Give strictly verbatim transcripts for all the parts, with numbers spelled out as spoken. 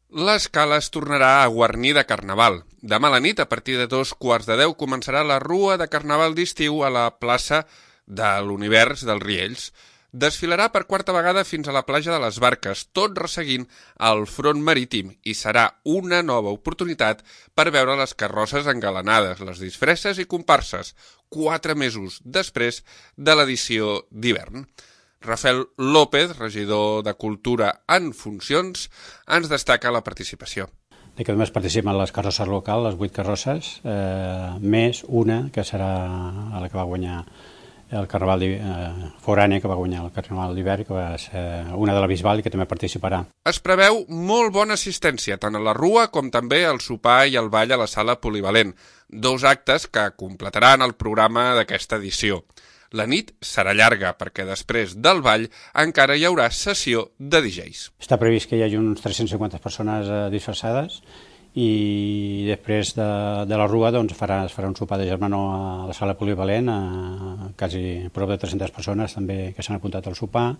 L'escala es tornarà a guarnir de Carnaval. Demà a la nit, a partir de dos quarts de deu, començarà la rua de Carnaval d'estiu a la plaça de l'Univers dels Riells. Desfilarà per quarta vegada fins a la platja de les Barques, tot resseguint el front marítim, i serà una nova oportunitat per veure les carrosses engalanades, les disfresses i comparses, quatre mesos després de l'edició d'hivern. Rafael López, regidor de Cultura en funcions, ens destaca la participació. Aquest mes participen les carrosses locals, les vuit carrosses, eh, més una que serà la que va guanyar el Carnaval eh, forània, que va guanyar el Carnaval d'hivern, que va ser una de la Bisbal i que també participarà. Es preveu molt bona assistència, tant a la rua com també al sopar i al ball a la sala polivalent, dos actes que completaran el programa d'aquesta edició. La nit serà llarga perquè després del ball encara hi haurà sessió de D Js. Està previst que hi hagi uns tres-cents cinquanta persones eh, disfressades i després de, de la rua doncs, farà, es farà un sopar de germanor a la sala polivalent, a quasi prop de tres-centes persones també que s'han apuntat al sopar,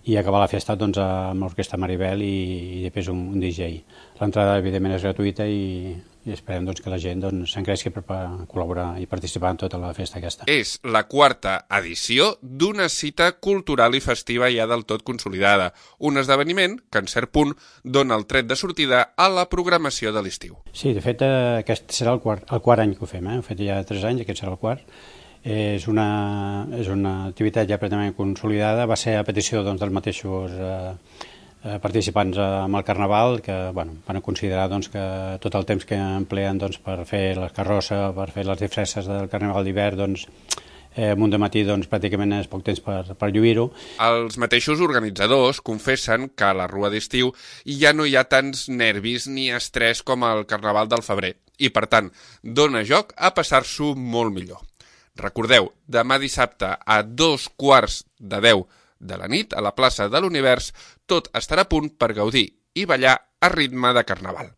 i acabar la festa doncs, amb l'Orquestra Maribel i, i després un, un D J. L'entrada evidentment és gratuïta i, i esperem doncs, que la gent doncs, s'engresqui per col·laborar i participar en tota la festa aquesta. És la quarta edició d'una cita cultural i festiva ja del tot consolidada, un esdeveniment que en cert punt dona el tret de sortida a la programació de l'estiu. Sí, de fet aquest serà el quart, el quart any que ho fem, eh? Ho fet ja tres anys, aquest serà el quart. És una, és una activitat ja pràcticament consolidada, va ser a petició doncs, dels mateixos eh, participants amb el Carnaval, que bueno, van considerar doncs, que tot el temps que empleen doncs, per fer la carrossa, per fer les disfresses del Carnaval d'hivern, doncs, eh, un dematí doncs, pràcticament és poc temps per, per lluir-ho. Els mateixos organitzadors confessen que a la rua d'estiu ja no hi ha tants nervis ni estrès com al Carnaval del febrer i, per tant, dona joc a passar-s'ho molt millor. Recordeu, demà dissabte a dos quarts de deu de la nit, a la plaça de l'Univers, tot estarà a punt per gaudir i ballar a ritme de Carnaval.